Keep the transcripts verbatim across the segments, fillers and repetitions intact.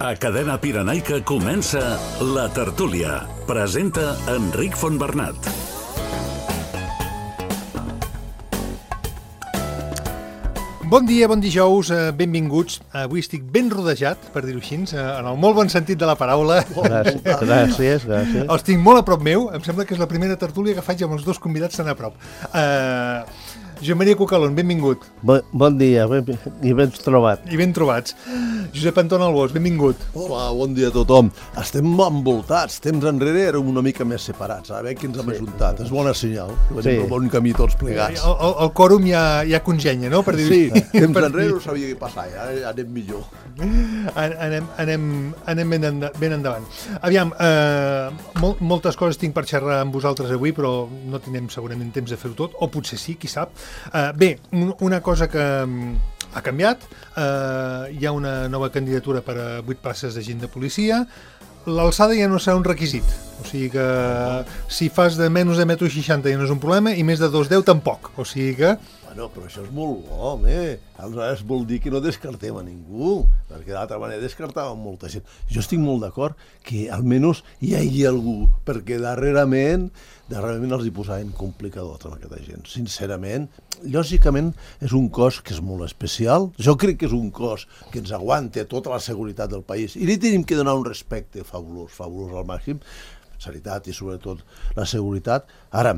A Cadena Pirenaica comença La Tertúlia. Presenta Enric Fontbernat. Bon dia, bon dijous, benvinguts. Avui estic ben rodejat, per dir-ho així, en el molt bon sentit de la paraula. Gràcies, gràcies, gràcies. Els tinc molt a prop meu. Em sembla que és la primera tertúlia que faig amb els dos convidats tan a prop. Uh, Josep Maria Cucalón, benvingut. Bon, bon dia, ben, i ben trobat. I ben trobats. Josep Anton Albós, benvingut. Hola, bon dia a tothom. Estem envoltats, temps enrere érem una mica més separats, ara veig que ens hem sí. ajuntat. És bona senyal, que venim sí. pel bon camí tots plegats. El, el, el quòrum ja, ja congenya, no? Per dir sí, temps per enrere no sabia què passar, ja anem millor. Anem, anem, anem ben, enda, ben endavant. Aviam, eh, mol, moltes coses tinc per xerrar amb vosaltres avui, però no tindrem segurament temps de fer-ho tot, o potser sí, qui sap. Eh, bé, un, una cosa que ha canviat, eh, hi ha una nova candidatura per a vuit places d'agent de policia. L'alçada ja no serà un requisit, o sigui que si fas de menys de un metro seixanta ja no és un problema, i més de dos coma deu tampoc, o sigui que... Bueno, però això és molt bo, home. Aleshores vol dir que no descartem a ningú, perquè d'altra manera descartàvem molta gent. Jo estic molt d'acord que almenys hi hagi algú, perquè darrerament, darrerament els hi posaven complicadors amb aquesta gent. Sincerament, lògicament és un cos que és molt especial. Jo crec que és un cos que ens aguanta tota la seguretat del país i li tenim que donar un respecte fabulós, fabulós al màxim, sanitat i sobretot la seguretat. Ara,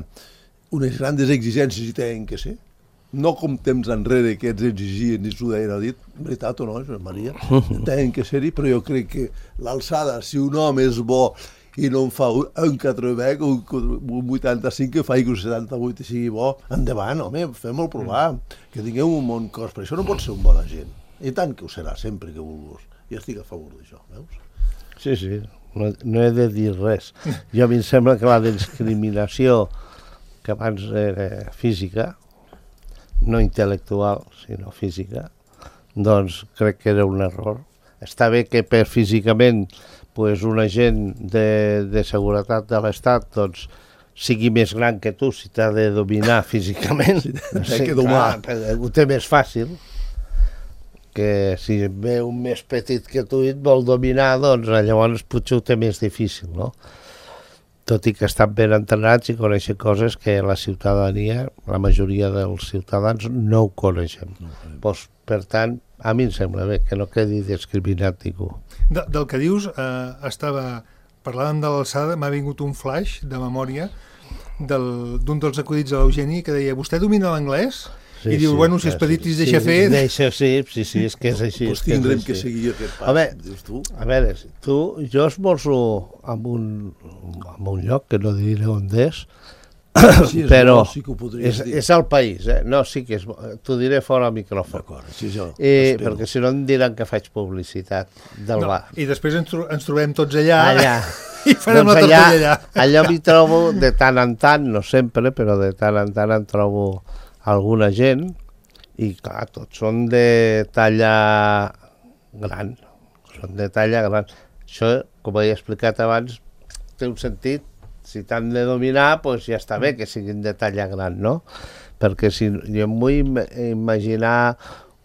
unes grans exigències hi tenen que ser. No com temps enrere que ens exigien i s'ho deien a dit, veritat o no, Josep Maria? Tenen que ser-hi, però jo crec que l'alçada, si un home és bo i no en fa un quatre-vec, un vuitanta-cinc, que faci un setanta-vuit i sigui bo, endavant, home, fem-ho provar, que tingueu un bon cos, però això no pot ser un bon agent. I tant que ho serà, sempre que vulguis. Jo estic a favor d'això, veus? Sí, sí, no, no he de dir res. Jo a mi em sembla que la discriminació que abans era física, no intel·lectual, sinó física, doncs crec que era un error. Està bé que per físicament pues, un agent de, de seguretat de l'Estat doncs, sigui més gran que tu si t'ha de dominar físicament. Sí, que domar. Clar, ho té més fàcil, que si ve un més petit que tu i et vol dominar, doncs llavors potser ho té més difícil, no? Tot i que estan ben entrenats i coneixen coses que la ciutadania, la majoria dels ciutadans, no ho coneixen. No, pues, per tant, a mi em sembla bé que no quedi discriminat ningú. De, del que dius, eh, estava parlant de l'alçada, m'ha vingut un flash de memòria d'un dels acudits de l'Eugeni que deia, vostè domina l'anglès? Sí, I diu, sí, bueno, si Expeditis sí, deixa sí, fer... Deixa, sí, sí, sí, és que és així. Doncs tindrem que seguir aquest pas, a veure, dius tu. A veure, tu, jo esmorzo en un, en un lloc, que no diré on és, sí, és però bo, sí que ho és, dir. és al país, eh? No, sí que és bo. T'ho diré fora al micròfon. D'acord, sí, jo eh, perquè si no em diran que faig publicitat del no, bar. I després ens, tro ens trobem tots allà, allà. i farem doncs la allà, tortilla allà. Allò m'hi trobo de tant en tant, no sempre, però de tant en tant em trobo alguna gent. I clar, tots són de talla gran, són de talla gran. Això, com he explicat abans, té un sentit, si t'han de dominar, doncs ja està bé que siguin de talla gran, no? Perquè si jo em vull imaginar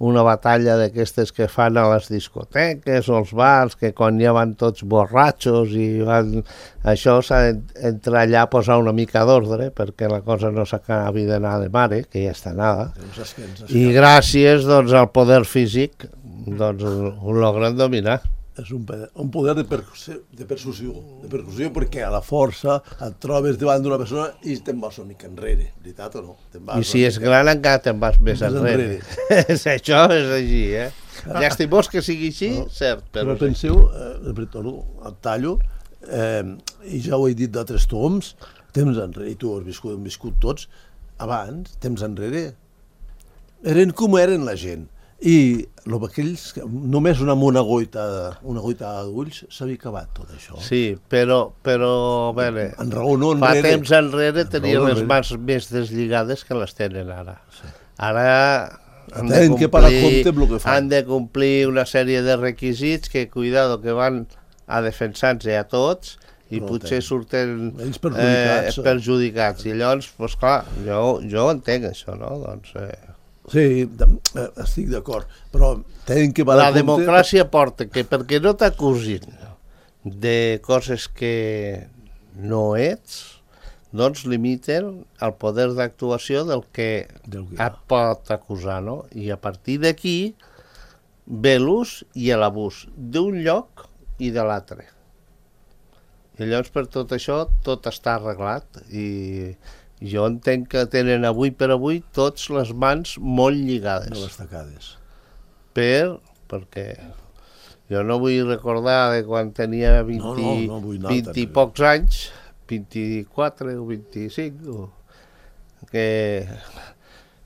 una batalla d'aquestes que fan a les discoteques o als bars, que quan ja van tots borratxos i van... Això s'ha d'entrar allà a posar una mica d'ordre perquè la cosa no s'acabi d'anar de mare, que ja està anada. I gràcies doncs, al poder físic doncs, ho logren dominar. És un, un poder de percussió, de percussió, de percussió perquè a la força et trobes davant d'una persona i te'n vas una mica enrere, veritat o no? I si és gran encara te'n vas més enrere. enrere. Això és així, eh? Llastimós que sigui així, no, cert. Però, però penseu, eh, retorno, et tallo, eh, i ja ho he dit d'altres toms, temps enrere, i tu has viscut, hem viscut tots, abans, temps enrere, eren com eren la gent. I aquells, només una, una goita una goita d'ulls s'havia acabat tot això. Sí, però, però a veure, en raó, no fa enrere. temps enrere tenia les mans més deslligades que les tenen ara. Sí. Ara han de, complir, que han de complir una sèrie de requisits que, cuidado, que van a defensar-se a tots i no potser ten. surten perjudicats, eh, perjudicats. I llavors, pues, clar, jo, jo entenc això, no? Doncs... Eh, Sí, de, estic d'acord, però tenen que... La democràcia porta que perquè no t'acusin de coses que no ets, doncs limiten el poder d'actuació del que, Del que et pot acusar, no? I a partir d'aquí ve l'ús i l'abús d'un lloc i de l'altre. I llavors per tot això tot està arreglat i jo entenc que tenen avui per avui tots les mans molt lligades. De les tacades. Per, perquè jo no vull recordar de quan tenia vint, No, no, no vull anar vint i tan- pocs anys, vint-i-quatre o vint-i-cinc, o que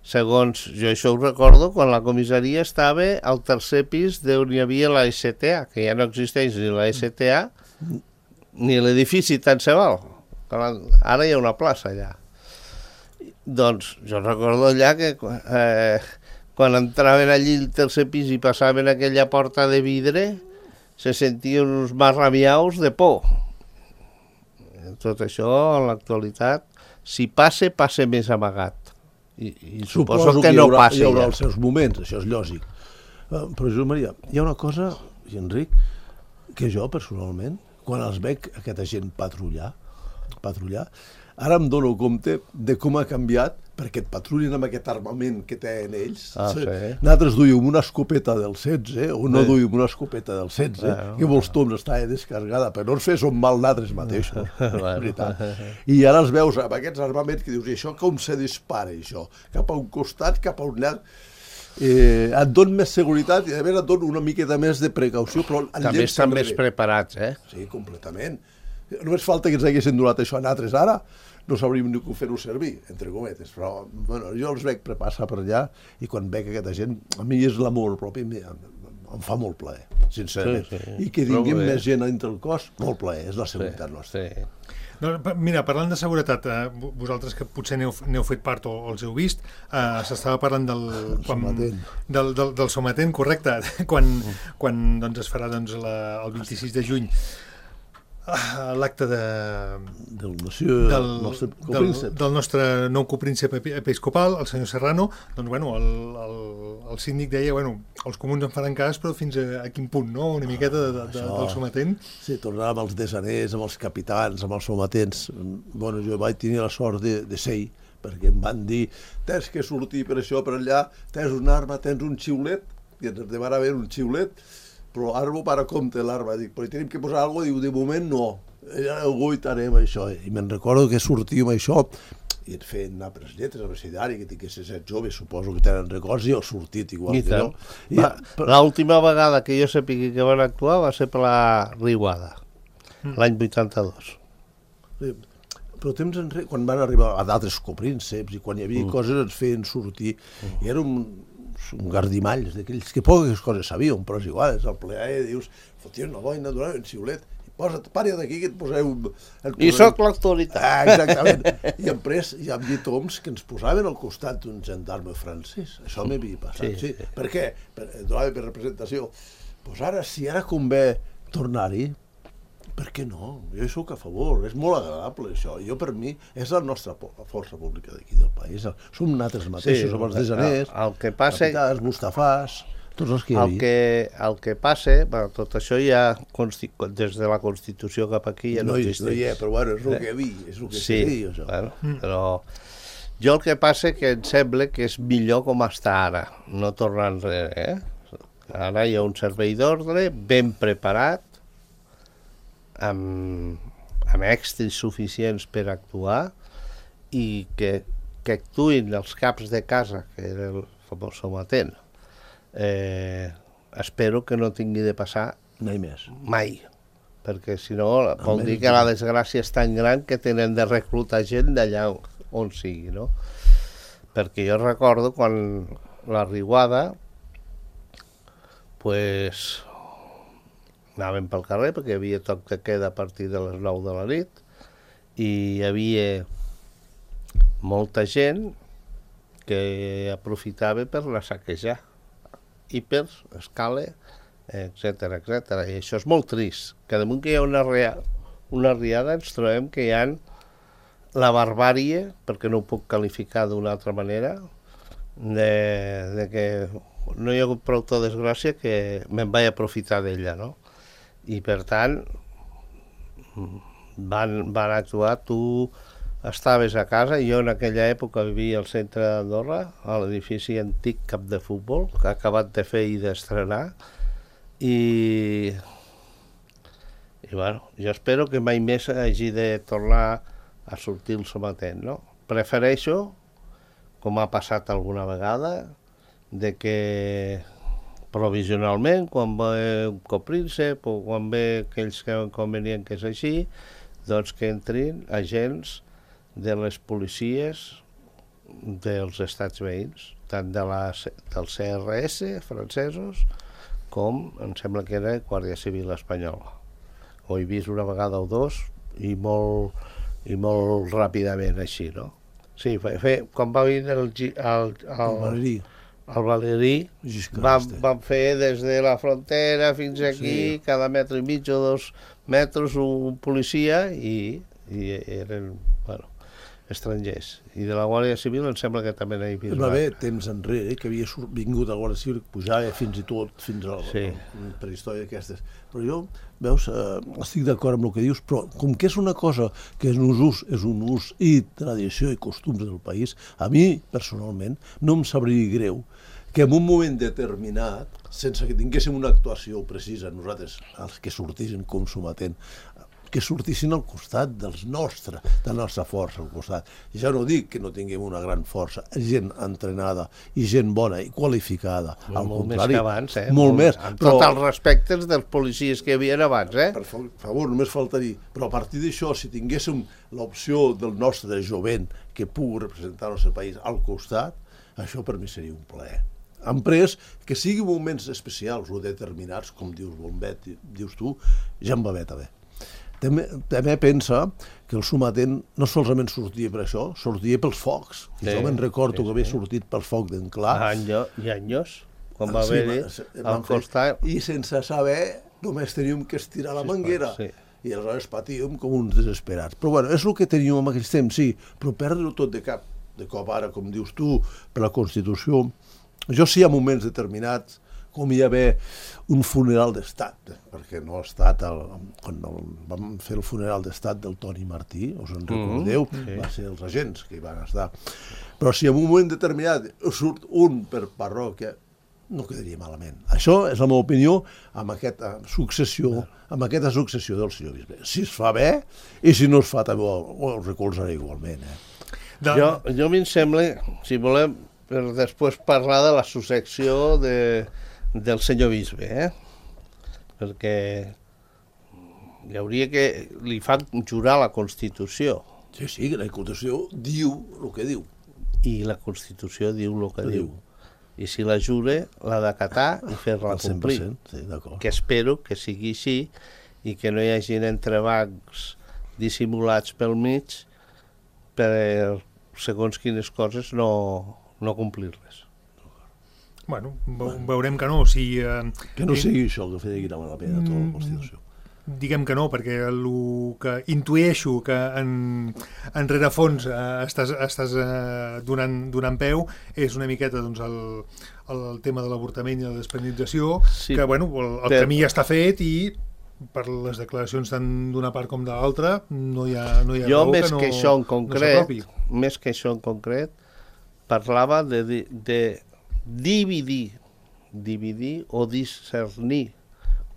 segons jo això ho recordo quan la comissaria estava al tercer pis d'on hi havia la S T A, que ja no existeix ni la S T A ni l'edifici tant se val. Ara hi ha una plaça allà. Doncs jo recordo allà que eh, quan entraven allí al tercer pis i passaven aquella porta de vidre se sentien uns marrabiaus de por. Tot això, en l'actualitat, si passe, passe més amagat. I, i suposo, Suposo que, que no hi haurà, passi hi haurà ja. els seus moments, això és lògic. Uh, però, Josep Maria, hi ha una cosa, i Enric, que jo, personalment, quan els veig aquesta gent patrullar, patrullar, ara em dono compte de com ha canviat perquè et patrullen amb aquest armament que tenen ells. Ah, sí. Nosaltres duíem una escopeta del setze o no Sí. duíem una escopeta del setze, Bueno, que vols tu, estava descarregada, però no ens fes un mal nosaltres mateixos, Bueno. és veritat. I ara els veus amb aquests armaments que dius, i això com se dispara, això? Cap a un costat, cap a un llarg... Eh, et don més seguretat i a més et don una miqueta més de precaució, però el També llença estan més enrere. preparats, eh? Sí, completament. Només falta que ens haguessin donat això a nosaltres ara, no sabríem ni com fer-ho servir, entre cometes, però bueno, jo els veig passar per allà i quan veig aquesta gent, a mi és l'amor propi, em, em fa molt plaer, sincerament. Sí, sí. I que Prou tinguem bé. més gent entre el cos, molt plaer, és la seguretat nostra. Sí. No, pa- mira, parlant de seguretat, eh, vo- vosaltres que potser n'heu n'heu fet part o, o els heu vist, eh, s'estava parlant del, quan, sometent. del, del, del sometent, correcte, quan, quan doncs, es farà doncs, la, el vint-i-sis de juny ah, l'acte de, Del monsieur, del, nostre del, copríncep. del nostre nou copríncep epi- episcopal, el senyor Serrano, doncs, bueno, el, el, el síndic deia, bueno, els comuns en faran cas, però fins a, a quin punt, no?, una miqueta de, de, de, Això. del sometent. Sí, tornar amb els desaners, amb els capitans, amb els sometents. Bueno, jo vaig tenir la sort de, de ser-hi, perquè em van dir, tens que sortir per això, per allà, tens una arma, tens un xiulet, i ens demana haver un xiulet, però ara m'ho para compte l'arma. Dic, però hi tenim que posar alguna cosa? Diu, de moment no. Ja ho guaitarem, això. I me'n recordo que sortíem això, i et feien anar per les lletres, a l'abecedari, que tinguessis set joves, suposo que tenen records, i heu sortit igual I que tant. jo. I, Va, l'última vegada que jo sàpiga que van actuar va ser per la Riuada, l'any vuitanta-dos. Sí, però temps enrere, quan van arribar a d'altres coprínceps i quan hi havia mm. coses ens feien sortir mm. i era un, un gardimalls d'aquells que poques coses sabíem, però és igual, és el pleaer, dius, fotien una boina, donaven un xiulet, i posa't, pari d'aquí que et poseu... Et I sóc l'autoritat. Ah, exactament. I després hi ha toms que ens posaven al costat d'un gendarme francès. Això m'havia passat, sí. Sí, sí. sí. Per què? Per, donava per representació. Pues ara, si ara convé tornar-hi, per què no? Jo hi soc a favor, és molt agradable això. Jo, per mi, és la nostra po- la força pública d'aquí del país. Som nosaltres mateixos, som els desaners, el, el que passa, capitans, Mustafàs, tots els que hi el havia. que, el que passa, bueno, tot això ja consti- des de la Constitució cap aquí ja no, no, hi, existeix. no hi és, però bueno, és el Eh? que vi, és el que Sí, se diu, això. bueno, però jo el que passa que em sembla que és millor com està ara, no tornar enrere, eh? Ara hi ha un servei d'ordre ben preparat, amb, amb èxits suficients per actuar i que, que actuïn els caps de casa, que era el famós sometent. Eh, espero que no tingui de passar Mai més. mai, perquè si no vol Almenys dir que la desgràcia és tan gran que tenen de reclutar gent d'allà on sigui, no? Perquè jo recordo quan la Riuada, pues, anàvem pel carrer perquè hi havia toc de queda a partir de les nou de la nit i hi havia molta gent que aprofitava per la saquejar, hipers, escala, etcètera, etcètera. I això és molt trist, que damunt que hi ha una, rea, una riada ens trobem que hi ha la barbàrie, perquè no ho puc qualificar d'una altra manera, de, de que no hi ha hagut prou desgràcia que me'n vaig aprofitar d'ella, no? I per tant van, van actuar, tu estaves a casa, jo en aquella època vivia al centre d'Andorra, a l'edifici antic Camp de Futbol, que ha acabat de fer i d'estrenar, i i bueno, jo espero que mai més hagi de tornar a sortir el sometent, no? Prefereixo, com ha passat alguna vegada, de que provisionalment, quan ve un copríncep o quan ve aquells que veuen convenient que és així, doncs que entrin agents de les policies dels estats veïns, tant de la, del C R S francesos com, em sembla que era Guàrdia Civil espanyola. Ho he vist una vegada o dos i molt, i molt ràpidament així, no? Sí, fe, fe, quan va venir el, el, el, El Valerí. el Valerí, van, van fer des de la frontera fins aquí, Sí. cada metre i mig o dos metres un policia i, i eren, bueno, estrangers. I de la Guàrdia Civil em sembla que també n'he vist. Va haver temps enrere que havia sur- vingut a la Guàrdia Civil, pujava fins i tot fins a la Sí. prehistòria aquestes. Però jo, veus, eh, estic d'acord amb el que dius, però com que és una cosa que és un ús, és un ús i tradició i costums del país, a mi, personalment, no em sabria greu que en un moment determinat, sense que tinguéssim una actuació precisa, nosaltres, els que sortissin com sometent, que sortissin al costat dels nostres, de la nostra força al costat. Ja no dic que no tinguem una gran força, gent entrenada i gent bona i qualificada. Molt, al molt més contrari, que abans, eh? Molt més. Amb tots els respectes dels policies que hi havia abans, eh? Per fa- favor, només faltaria. Però a partir d'això, si tinguéssim l'opció del nostre jovent que pugui representar el nostre país al costat, això per mi seria un plaer. Han pres que siguin moments especials o determinats, com dius Bombet, dius tu, ja em va bé també. També, també pensa que el sometent no solament sortia per això, sortia pels focs. Sí, jo me'n recordo sí, que havia sí. sortit pels focs d'Enclar. Anys, i anys, quan va Sí, haver-hi va- el van fer- costat... I sense saber, només teníem que estirar la Sí, manguera. sí. I aleshores patíem com uns desesperats. Però bueno, és el que teníem en aquells temps, sí, però perdre-ho tot de cap, de cop ara, com dius tu, per la Constitució. Jo sí, a moments determinats, com hi havia un funeral d'estat, perquè no ha estat, el, quan el, vam fer el funeral d'estat del Toni Martí, us en recordeu, mm, sí. Va ser els agents que hi van estar. Però si en un moment determinat surt un per parròquia, no quedaria malament. Això és la meva opinió amb aquesta successió, amb aquesta successió del senyor bisbe. Si es fa bé, i si no es fa també ho, ho recolzaré igualment. Eh? De... Jo, jo a mi em sembla, si volem, per després parlar de la successió de, del senyor bisbe, eh? Perquè hi hauria que... li fan jurar la Constitució, Sí, sí, que la Constitució diu el que diu. i la Constitució diu el que Ho diu. diu. I si la jure, l'ha d'acatar i fer-la Al cent per complir. cent, sí, d'acord. Que espero que sigui així i que no hi hagi entrebancs dissimulats pel mig per segons quines coses no, no complir-les. Bueno, ve- veurem que no. Si, eh, Que no eh, sigui això que feia la pena tota la Constitució. Diguem que no, perquè el que intueixo que en, en rerefons eh, estàs, estàs eh, donant, donant peu és una miqueta doncs, el, el tema de l'avortament i la despenalització, Sí, que bueno, el, el però- camí ja està fet i per les declaracions tant d'una part com de l'altra no hi ha, no hi ha Jo, raó més que no, que això en no concret, s'apropi. més que això en concret, parlava de, di- de dividir, dividir o discernir.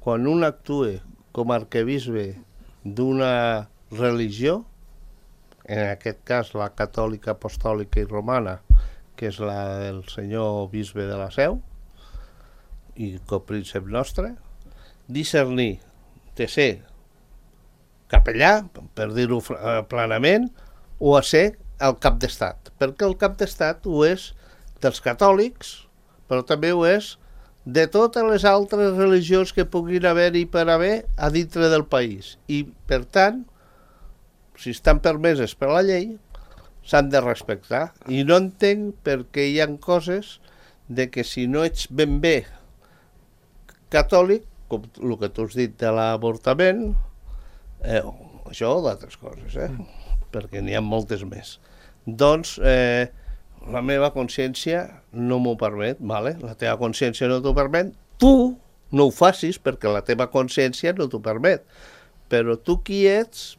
Quan un actua com a arquebisbe d'una religió, en aquest cas la catòlica, apostòlica i romana, que és la del senyor bisbe de la Seu i copríncep nostre, discernir de ser capellà, per dir-ho fr- eh, planament, o a ser el cap d'estat. Perquè el cap d'estat ho és dels catòlics, però també ho és de totes les altres religions que puguin haver-hi per haver a dintre del país. I, per tant, si estan permeses per la llei, s'han de respectar. I no entenc per què hi ha coses de que si no ets ben bé catòlic, com el que tu has dit de l'avortament, eh, això o d'altres coses, eh? perquè n'hi ha moltes més. Doncs eh, la meva consciència no m'ho permet, vale? La teva consciència no t'ho permet, tu no ho facis perquè la teva consciència no t'ho permet. Però tu qui ets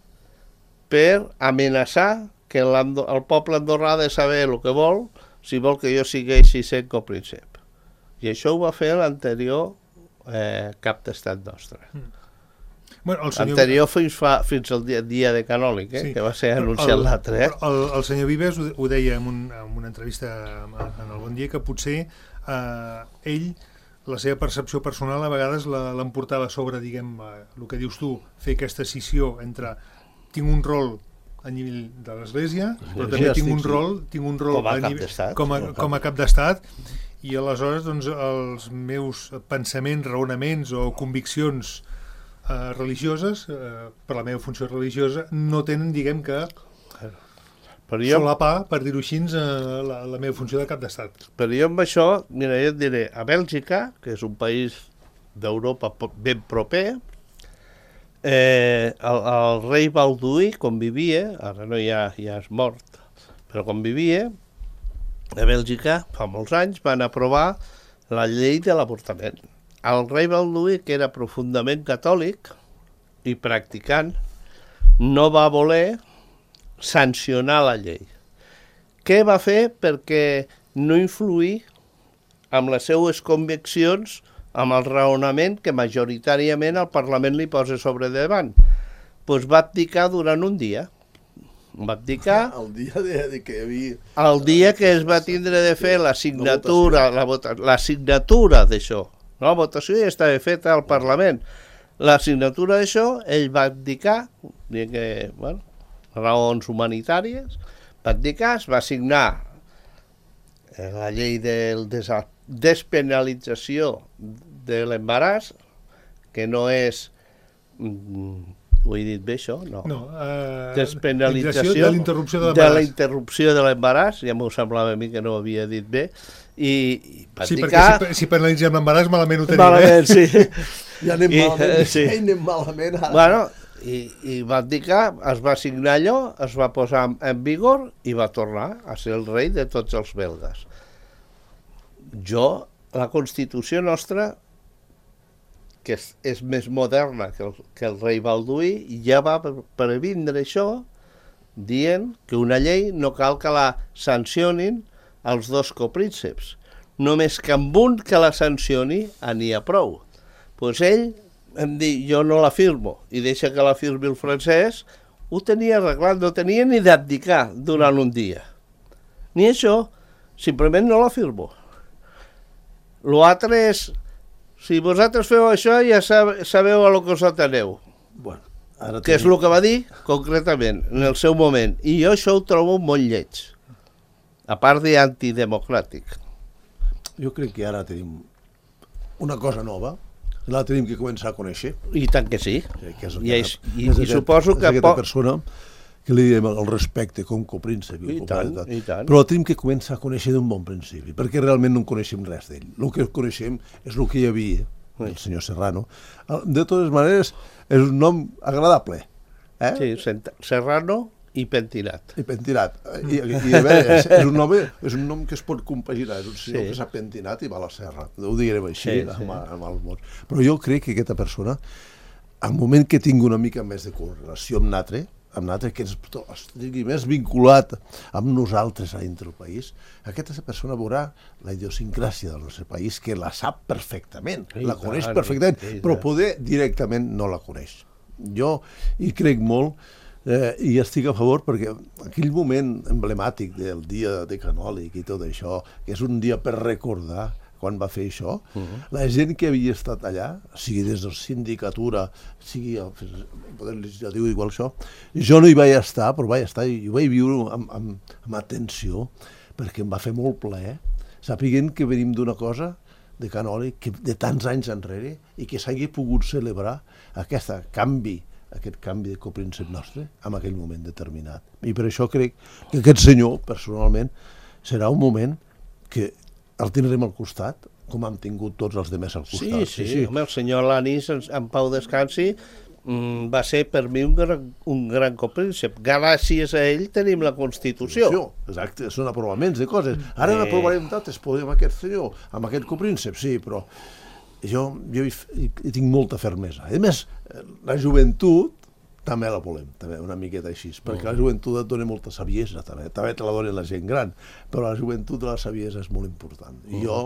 per amenaçar que el poble andorrà ha de saber el que vol si vol que jo segueixi sent copríncep. I això ho va fer l'anterior eh, cap d'estat nostre. Mm. Bueno, el senyor... Anterior fins, fa, fins al dia, dia de Canòlic, eh? Sí. Que va ser anunciat l'altre. Eh? El, el senyor Vives ho, ho deia en, un, en una entrevista en el Bon Dia, que potser eh, ell, la seva percepció personal a vegades l'emportava sobre, diguem, eh, el que dius tu, fer aquesta escissió entre tinc un rol a nivell de l'Església, però també tinc un rol, tinc un rol com a, a cap d'estat, com a, com a cap d'estat, i aleshores doncs, els meus pensaments, raonaments o conviccions eh, religioses, eh, per la meva funció religiosa, no tenen, diguem que, però jo... solapar, per dir-ho així, eh, la, la meva funció de cap d'estat. Però jo amb això, mira, jo et diré, a Bèlgica, que és un país d'Europa ben proper, Eh, el, el rei Balduí, quan vivia, ara no ja, ja és mort, però quan vivia, a Bèlgica, fa molts anys, van aprovar la llei de l'avortament. El rei Balduí, que era profundament catòlic i practicant, no va voler sancionar la llei. Què va fer? Perquè no influir amb les seues conviccions amb el raonament que majoritàriament el Parlament li posa sobre davant. Doncs va abdicar durant un dia. Va abdicar... El dia de, de que hi havia... El dia que es va tindre de fer la signatura, la, vota, la signatura d'això. No? La votació ja estava feta al Parlament. La signatura d'això, ell va abdicar, que, bueno, raons humanitàries, va abdicar, es va signar la llei del desastre, despenalització de l'embaràs, que no és... Ho he dit bé, això? No. no uh, despenalització de l'interrupció de l'embaràs. De la interrupció de l'embaràs, ja m'ho semblava a mi que no ho havia dit bé, i, i va sí, indicar... perquè si, si penalitzem l'embaràs malament ho tenim, malament, eh? Sí. Ja anem I, malament, sí. ja anem malament ara. Bueno, i, i va indicar, es va signar allò, es va posar en vigor i va tornar a ser el rei de tots els belgues. Jo, la Constitució nostra, que és, és més moderna que el, que el rei Balduí, ja va previndre això, dient que una llei no cal que la sancionin els dos coprínceps. Només que amb un que la sancioni n'hi ha prou. Doncs ell em diu, jo no la firmo, i deixa que la firmi el francès, ho tenia arreglat, no tenia ni d'abdicar durant un dia. Ni això, simplement no la firmo. L'altre és, si vosaltres feu això, ja sabeu a lo que us ateneu. Bueno, ara que és el que va dir, concretament, en el seu moment. I jo això ho trobo molt lleig, a part d'antidemocràtic. Jo crec que ara tenim una cosa nova, la tenim que començar a conèixer. I tant que sí. Que és, I, és, i, és i aquest, suposo que... És aquesta persona que li diem el respecte com copríncep. I, I tant, i tant. Però tenim que començar a conèixer d'un bon principi, perquè realment no en coneixem res d'ell. El que coneixem és el que hi havia, el senyor Serrano. De totes maneres, és un nom agradable. Eh? Sí, Serrano i pentinat. I pentinat. I, i, i a veure, és, és, un nom, és un nom que es pot compaginar, és un senyor sí. que s'ha pentinat i va a la serra. Ho direm així, sí, amb, sí. amb els mots. Però jo crec que aquesta persona, al moment que tingui una mica més de correlació amb l'altre, amb l'altre que ens estigui més vinculat amb nosaltres a dintre del país, aquesta persona veurà la idiosincràsia del nostre país, que la sap perfectament, sí, la coneix clar, perfectament, sí, però poder directament no la coneix. Jo hi crec molt eh, i estic a favor perquè aquell moment emblemàtic del dia de Canòlic i tot això, que és un dia per recordar quan va fer això, uh-huh. la gent que havia estat allà, sigui des de la sindicatura, sigui el poder legislatiu, igual això, jo no hi vaig estar, però vaig estar i ho vaig viure amb, amb, amb atenció, perquè em va fer molt plaer, sapiguent que venim d'una cosa de Canòlic que de tants anys enrere i que s'hagi pogut celebrar aquest canvi, aquest canvi de copríncep nostre en aquell moment determinat. I per això crec que aquest senyor, personalment, serà un moment que el tindrem al costat, com hem tingut tots els demés al costat. Sí, sí, sí, sí. Home, el senyor Lanís, en pau descansi, mm, va ser per mi un gran, un gran copríncep. Gràcies a ell tenim la Constitució. Exacte, són aprovaments de coses. Ara eh... n'aprovarem tantes, podem amb aquest senyor, amb aquest copríncep, sí, però jo, jo hi, hi tinc molta fermesa. A més, la joventut també la volem, també, una miqueta així, perquè la joventut et dona molta saviesa, també, també te la dona la gent gran, però la joventut de la saviesa és molt important. I jo,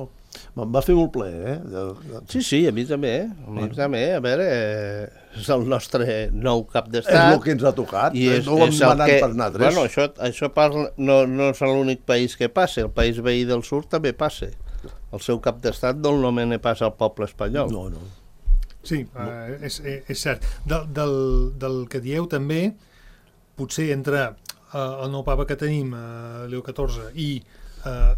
me'n va fer molt plaer, eh? Sí, sí, a mi també, eh? a mi també, a veure, eh, és el nostre nou cap d'estat. És el que ens ha tocat, i és, no ho hem és anat que, per nosaltres. Bueno, això, això parla, no, no és l'únic país que passa, el país veí del sud també passa. El seu cap d'estat no el nomena pas al poble espanyol. No, no. Sí, uh, és, és cert. Del, del, del que dieu també, potser entre uh, el nou papa que tenim, uh, Leo catorze, i uh,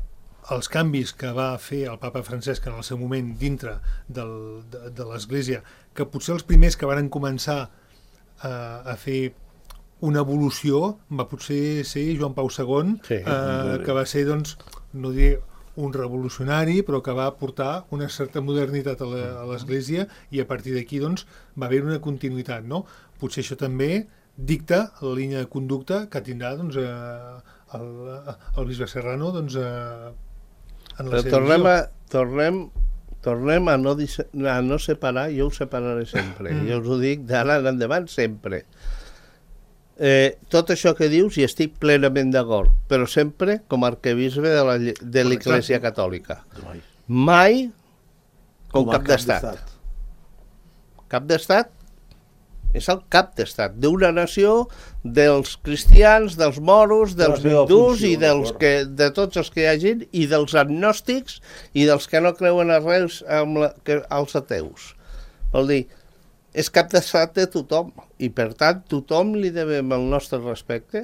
els canvis que va fer el papa Francesc en el seu moment dintre del, de, de l'Església, que potser els primers que van començar uh, a fer una evolució va potser ser Joan Pau segon, sí, uh, que va ser, doncs, no diré un revolucionari, però que va portar una certa modernitat a l'Església i a partir d'aquí doncs, va haver una continuïtat. No? Potser això també dicta la línia de conducta que tindrà doncs, eh, el, el bisbe Serrano doncs, eh, en la seva tornem visió. A, tornem, tornem a, no, a no separar, jo ho separaré sempre. Mm. Jo us ho dic d'ara en endavant sempre. Eh, tot això que dius hi estic plenament d'acord, però sempre com a arquebisbe de la, de l'Església Catòlica. Mai com, com cap, cap d'estat. Cap d'estat és el cap d'estat d'una nació, dels cristians, dels moros, dels hindús i dels que, de tots els que hi hagin, i dels agnòstics i dels que no creuen a res amb la, que, els ateus. Vol dir, és cap d'estat de tothom i per tant tothom li devem el nostre respecte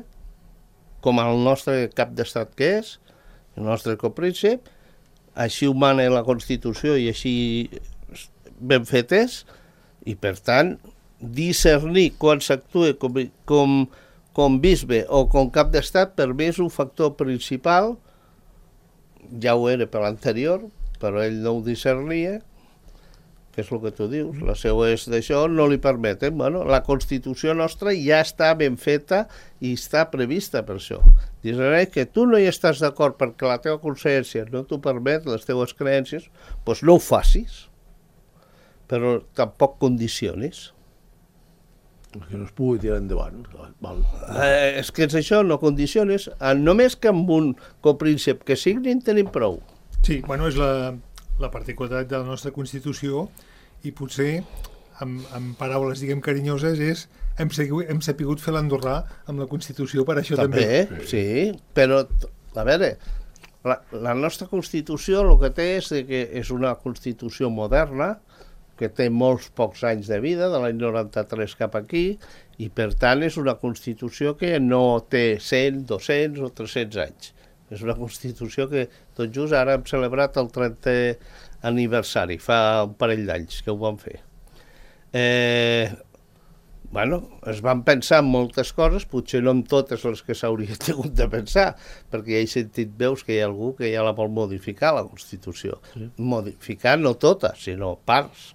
com al nostre cap d'estat que és, el nostre copríncep, així ho mana la Constitució i així ben fet és, i per tant discernir quan s'actua com, com, com bisbe o com cap d'estat per mi és un factor principal, ja ho era per l'anterior, però ell no ho discernia, que és el que tu dius, la seva és d'això, no li permeten. Bueno, la Constitució nostra ja està ben feta i està prevista per això. Dius que tu no hi estàs d'acord perquè la teva consciència no t'ho permet, les teves creences, doncs no ho facis, però tampoc condicionis. Que no es pugui tirar endavant. Val. Eh, és que és això, no condicionis. Només que amb un copríncep que signin tenim prou. Sí, bueno, és la... la particularitat de la nostra Constitució i potser, amb, amb paraules, diguem, carinyoses, és hem, segut, hem sapigut fer l'andorrà amb la Constitució per això també. També, sí, però, a veure, la, la nostra Constitució el que té és que és una Constitució moderna, que té molts pocs anys de vida, de l'any noranta-tres cap aquí, i per tant és una Constitució que no té cent, dos-cents o tres-cents anys. És una Constitució que tot just ara hem celebrat el trentè aniversari, fa un parell d'anys que ho vam fer. Eh, bueno, es van pensar en moltes coses, potser no en totes les que s'hauria hagut de pensar, perquè ja he sentit veus que hi ha algú que ja la vol modificar, la Constitució. Sí. Modificar no tota, sinó parts,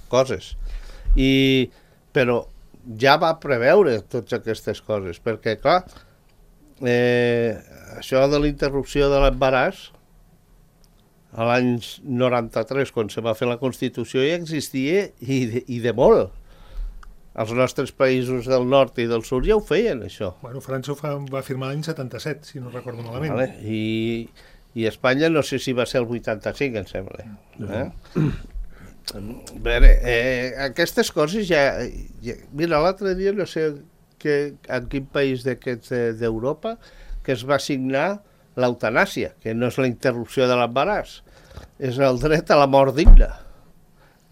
coses. I, però ja va preveure totes aquestes coses, perquè, clar, Eh, això de la interrupció de l'embaràs a l'any noranta-tres, quan se va fer la Constitució, ja existia i de, i de molt. Els nostres països del nord i del sud ja ho feien, això. Bueno, França ho fa, va firmar l'any setanta-set, si no recordo malament. Vale. I, I Espanya no sé si va ser el vuitanta-cinc, em sembla. Eh? A veure, eh, aquestes coses ja, ja... Mira, l'altre dia no sé... que en quin país d'aquests d'Europa que es va signar l'eutanàsia, que no és la interrupció de l'embaràs, és el dret a la mort digna.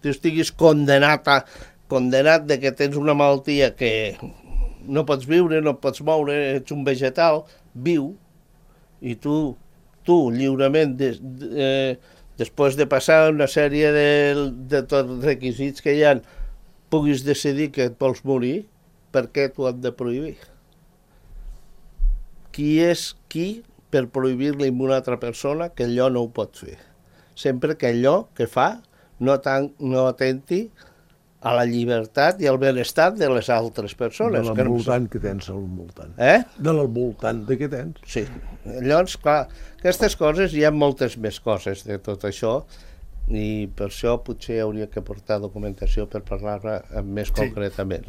Tu estiguis condenat a, condenat de que tens una malaltia que no pots viure, no pots moure, ets un vegetal, viu, i tu, tu lliurement, de, de, eh, després de passar una sèrie de, de tots requisits que hi ha, puguis decidir que et vols morir, per què t'ho han de prohibir? Qui és qui per prohibir-li a una altra persona que allò no ho pot fer? Sempre que allò que fa no, tan, no atenti a la llibertat i al benestar de les altres persones. De l'envoltant que tens al voltant. Eh? De l'envoltant de què tens. Sí. Llavors, clar, aquestes coses, hi ha moltes més coses de tot això, i per això potser hauria que portar documentació per parlar més Sí. concretament.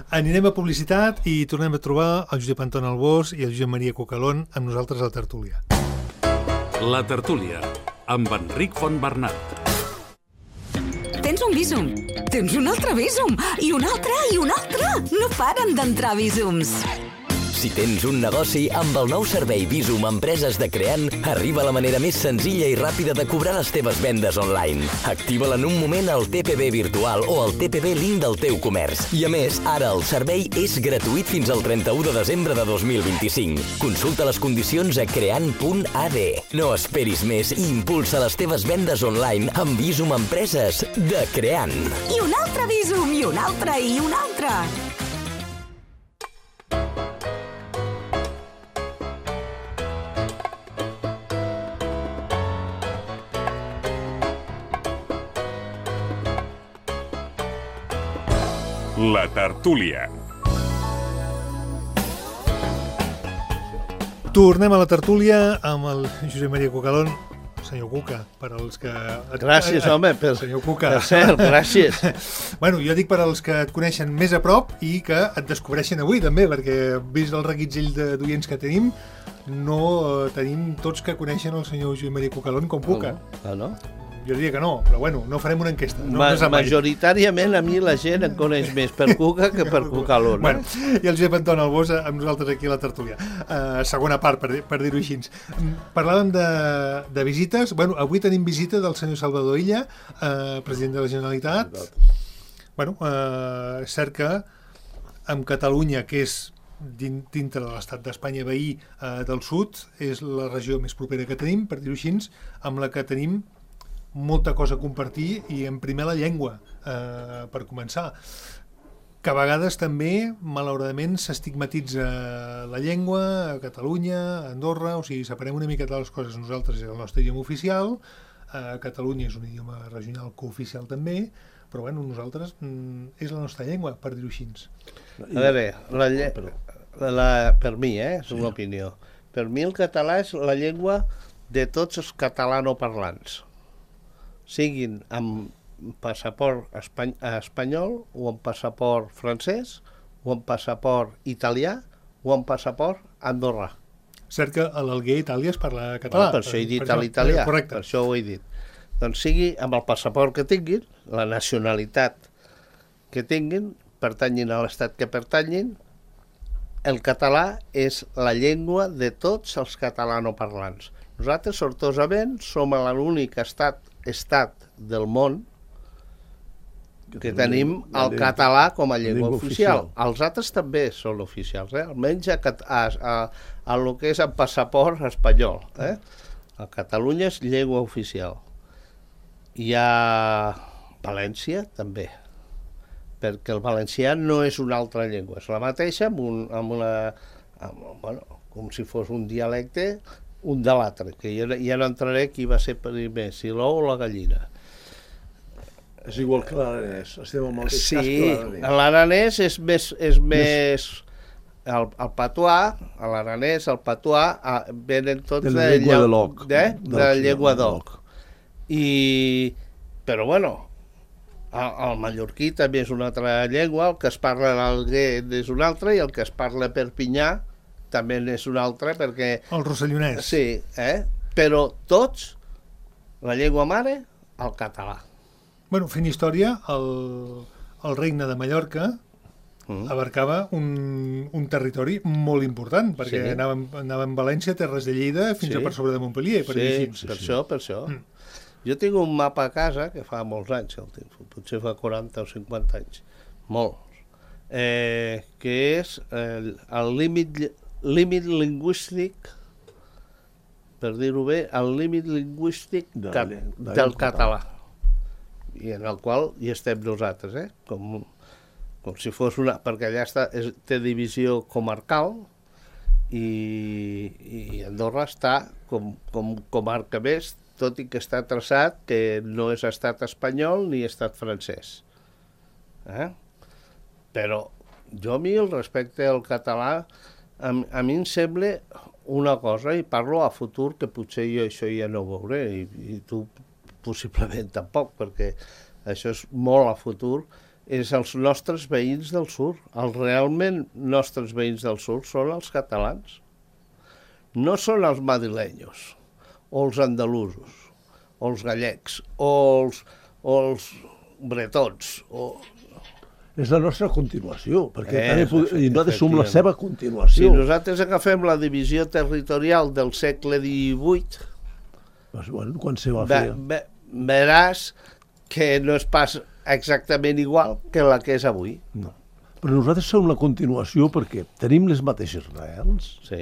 Anirem a publicitat i tornem a trobar el Josep Anton Albós i el Josep Maria Cucalón amb nosaltres a la tertúlia. La tertúlia, amb Enric Fontbernat. Tens un vísum, tens un altre vísum, i un altre, i un altre. No paren d'entrar vísums. Si tens un negoci, amb el nou servei Visum Empreses de Creant, arriba la manera més senzilla i ràpida de cobrar les teves vendes online. Activa-la en un moment al T P B virtual o al T P B link del teu comerç. I a més, ara el servei és gratuït fins al trenta-u de desembre de dos mil vint-i-cinc. Consulta les condicions a creant punt a d. No esperis més i impulsa les teves vendes online amb Visum Empreses de Creant. I un altre vísum, i un altre, i un altre. La tertúlia. Tornem a la tertúlia amb el Josep Maria Cucalón, senyor Cuca, per als que... Gràcies, home, per, senyor Cuca. per cert, gràcies. Bueno, jo dic per als que et coneixen més a prop i que et descobreixen avui també, perquè vist el reguitzell de- d'oients que tenim, no eh, tenim tots que coneixen el senyor Josep Maria Cucalón com Cuca. Ah, no? Jo diria que no, però bueno, no farem una enquesta. No, Ma no sap mai. majoritàriament a mi la gent em coneix més per Cuca que per Cucalón. Bueno, i el Josep Anton Albós amb nosaltres aquí a la tertúlia. Uh, segona part, per, per dir-ho així. Mm, Parlàvem de, de visites. Bueno, avui tenim visita del senyor Salvador Illa, uh, president de la Generalitat. Bueno, uh, és cert que amb Catalunya, que és din- dintre de l'estat d'Espanya veí uh, del sud, és la regió més propera que tenim, per dir-ho així, amb la que tenim molta cosa a compartir i en primer la llengua, eh, per començar, que a vegades també, malauradament, s'estigmatitza la llengua a Catalunya, a Andorra, o sigui, separem una miqueta les coses. Nosaltres és el nostre idioma oficial, a Catalunya és un idioma regional cooficial també, però bueno, nosaltres mm, és la nostra llengua, per dir-ho així. A veure, la lle... la, per mi, eh, és una opinió. Per mi el català és la llengua de tots els catalanoparlants, siguin amb passaport espany espanyol o amb passaport francès o amb passaport italià o amb passaport andorrà. Cert que a l'Alguer, Itàlia, es parla català. Per això he dit per a l'italià, correcte. per això ho he dit. Doncs sigui amb el passaport que tinguin, la nacionalitat que tinguin, pertanyin a l'estat que pertanyin, el català és la llengua de tots els catalanoparlants. Nosaltres, sortosament, som l'únic estat, estat del món que tenim el català com a llengua oficial. Els altres també són oficials, eh? Almenys a, a, a, a lo que és el passaport espanyol. Eh? A Catalunya és llengua oficial. I a València també, perquè el valencià no és una altra llengua, és la mateixa amb, un, amb una... Amb, bueno, com si fos un dialecte un de l'altre, que ja, ja no entraré qui va ser primer, si l'ou o la gallina. És igual que l'aranès, estem al mateix Sí, cas que l'aranès. l'aranès és més... És més el, el patuà, l'aranès, el patuà, ah, venen tots De la llengua llau- de l'oc. De, de la D'oc, llengua de d'oc. I, però bueno, el, el mallorquí també és una altra llengua, el que es parla a l'Alguer és una altra i el que es parla a Perpinyà també és una altra, perquè... El rossellonès. Sí, eh? Però tots, la llengua mare, el català. Bueno, fent història, el, el regne de Mallorca Mm. abarcava un, un territori molt important, perquè Sí. anàvem, anàvem a València, Terres de Lleida, fins Sí. a per sobre de Montpellier, per dir Sí, així. per això, per això. Jo tinc un mapa a casa, que fa molts anys, el tinc, potser fa quaranta o cinquanta anys, molts, eh, que és el, el límit, límit lingüístic, per dir-ho bé, el límit lingüístic De la ca, lle- de del la català, i en el qual hi estem nosaltres, eh? com, com si fos una... perquè allà està, és, té divisió comarcal, i, i Andorra està com, com comarca més, tot i que està traçat que no és estat espanyol ni estat francès. Eh? Però jo a mi el respecte al català, a, a mi em sembla una cosa, i parlo a futur, que potser jo això ja no ho veuré, i, i tu possiblement tampoc, perquè això és molt a futur, és els nostres veïns del sud. Els realment nostres veïns del sud són els catalans. No són els madrilenyos, o els andalusos, o els gallecs, o els, o els bretons, o... És la nostra continuació, perquè Eh, també pod- i nosaltres som la efectivament. seva Si continuació. nosaltres agafem la divisió territorial del segle divuit, Pues, bueno, quan se va ve, fer... ve, veràs que no és pas exactament igual que la que és avui. No. Però nosaltres som la continuació perquè tenim les mateixes arrels, Sí.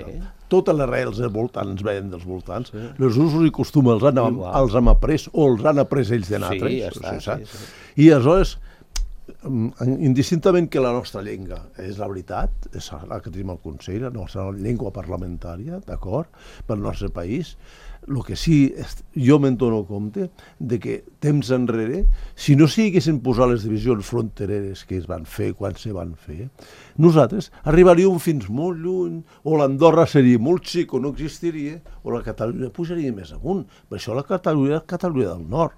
totes les arrels dels voltants veien dels voltants, sí. Els usos i costums els han, Igual. els hem après o els han après ells de Sí, nosaltres. ja està, o sigui, sí, saps? sí. I aleshores, mm, indistintament que la nostra llengua és la veritat, és la que tenim al Consell, la nostra llengua parlamentària, d'acord, pel nostre país, el que sí, és, jo me'n dono compte de que temps enrere, si no s'haguessin posat les divisions frontereres que es van fer quan se van fer, nosaltres arribaríem fins molt lluny, o l'Andorra seria molt xic o no existiria, o la Catalunya pujaria més amunt. Per això la Catalunya és Catalunya del Nord.